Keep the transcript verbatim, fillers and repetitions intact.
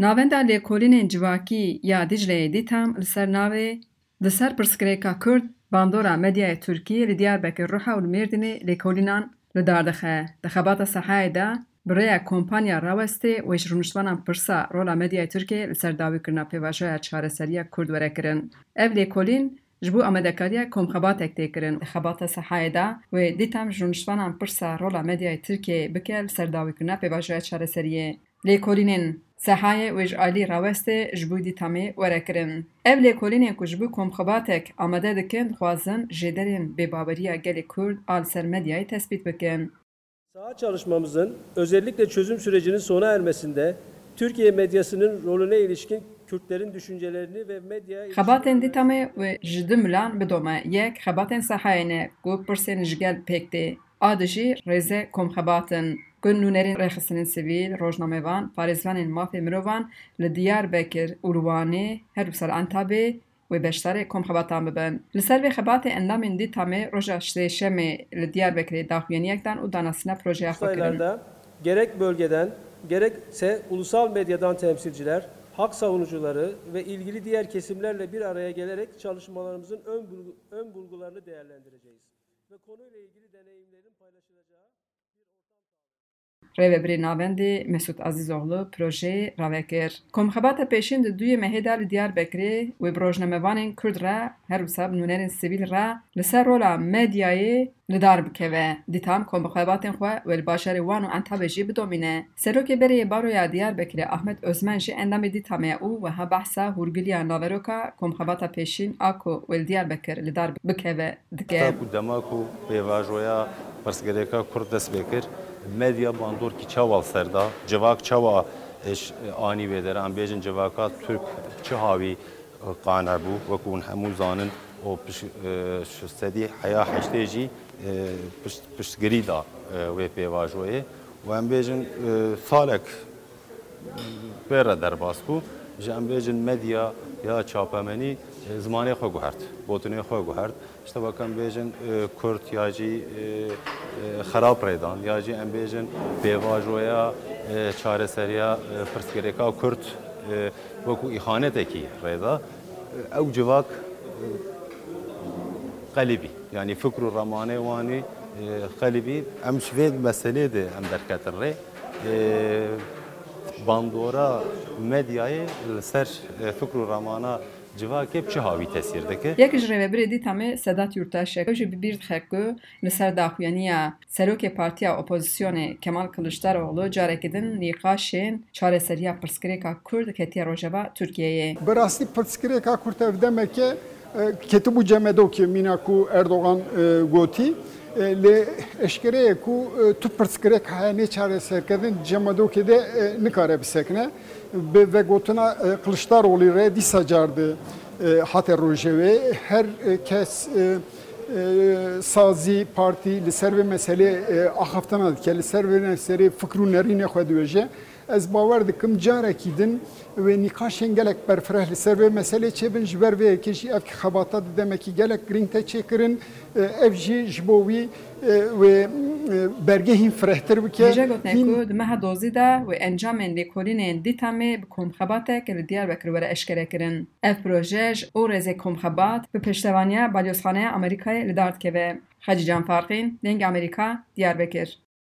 Navenda Lêkolînên Civakî ya Dîcleyê Dîtam li ser navê Di ser pirsgirêka Kurd, bandora medyayê Tirkî li Diyarbekir ruha û li Mêrdînê lêkolînan li dar dixe. Di xebata Sehayê de bi rêya kompanya Rawestê wê ji rûniştvanan pirsa rola medyayê Tirkiyê li ser dawîkirina pêvajoya çareseriya Kurd were kirin. Ev lêkolîn ji bo amadekariya komxebatek tê kirin. Di xebata Sehayê de wê Dîtam ji rûniştvanan pirsa rola medyayê Tirkiyeyê bike li ser dawîkirina pêvajoya çareseriyê. Lêkolînên Sehayê wê ji alî Rawestê ji bo Dîtamê were kirin. Ev lêkolînên ku ji bo komxebatek amade dikin, dixwazin jêderên bêbaweriya gelê Kurd a li ser medyayê tespît bikin. Saha çalışmamızın, özellikle çözüm sürecinin sona ermesinde Türkiye medyasının rolüne ilişkin Kürtlerin düşüncelerini ve medya Xebatên Dîtamê wê ji du milan bidome. Yek, xebatên Sehayê ne ku pirsên ji gel pêk tê. A du jî rêzê komxebat in ku nûnerên rêxistinên sivîl, rojnamevan, parêzvanên mafê mirovan li Diyarbekir û li Wanê, her wisa li Entabê wê beşdarê komxebatan bibin. Li ser vê xebatê endamên Dîtamê roja Sêşemê li Diyarbekirê daxuyaniyek dan û danasîna projeya xwe kirin. Sayılarda gerek bölgeden gerekse ulusal medyadan temsilciler, hak savunucuları ve ilgili diğer kesimlerle bir araya gelerek çalışmalarımızın ön, bulgu- ön bulgularını değerlendireceğiz. Ve konuyla ilgili deneyimlerin paylaşılacağı Rêvebirê Navendê Mesûd Ezîzoğlu projeyê rave kir. Komxebata pêşîn di duyê mehê de li Diyarbekirê wê bi rojnamevanên Kurd re, her wisa bi nûnerên sivîl re li ser rola medyayê li dar bikeve. Dîtam komxebatên xwe wê li bajarê Wan û Entabê jî bidomîne. Serokê berê yê Baroya Diyarbekirê Ahmet Ozmen jî endamê Dîtamê ye û wiha behsa hûrgiliya naveroka komxebata pêşîn a ku wê li Diyarbekir li dar bikeve dike. Heta ku dema ku pêvajoya pirsgirêka Kurd dest pê kir, medya bandorkî çawa li ser da, civak çawa, e, ş-, anî vê derê, em bêjin civaka Tirk çi hawî, e, qane bû, wekû hûn hemû zanin, û piş-, e, ş-, sedî heya heştê jî, e, pişt-, piştgirî da, e, wê pêvajoyê. Û em bêjin, e, salek pê re derbas bû. Ji em bêjin medya ya çapemenî, e, zimanê xwe guhert, gotinê xwe guhert. Ji tevaka em bêjin, e, Kurd ya jî, e, e, xerab rêdan, ya jî em bêjin pêvajoya, e, çareseriya, e, pirsgirêka Kurd, e, wekû îxanetekî rêda. E, ew civak, e, qelibî. Yanî fikr û remanê wan ê, e, qelibî. Em ji vê meselê de em derketin rê. E, bandora medyayê li ser, e, fikr û remana civakê bi çi hawî tesîr dike? Yek ji rêvebirê Dîtamê Sedat Yurtaş e. Ew jî bi bîr dixe ku li ser daxuyaniya serokê partiya opozisyonê Kemal Kiliçdaroglu carekî din nîqaşên çareseriya pirsgirêka Kurd ketiye rojeva Tirkiyeyê. Bi rastî pirsgirêka Kurd ev demeke, e, ketibû cemedokê mîna ku Erdogan, e, gotî. E, lê eşkere ye ku, e, tu pirsgirêk heye nêçareserkirin, cemedokê de, e, nikare bisekine. Bi vegotina, e, Kiliçdaroglu re dîsa car di, e, hate rojevê. Her, e, kes, e, e, sazî, partî li ser vê meselê, e, axaftina dike, li ser vê meselê fikr û nerînê xwe diwêje. Ez bawer dikim carekî din wê nîqaşên gelek berfireh li ser vê meselê çêbin. Ji ber vê yekê jî ev xebata di demekî gelek girîng te çêkirin. E, ev jî ji bo wî, e, wê, e, bergê hîn firehtir bike. Hêja gotinê ku di meha dozî de wê encamên lêkolînên Dîtamê bi komxebatek li Diyarbekir were eşkerekirin. Ev proje ji û rêzê komxebat bi pêştevaniya Balyozxaneya Amerîkayê li dar dikeve. Xecîcan Farqîn, Dengê Amerîka, Diyarbekir.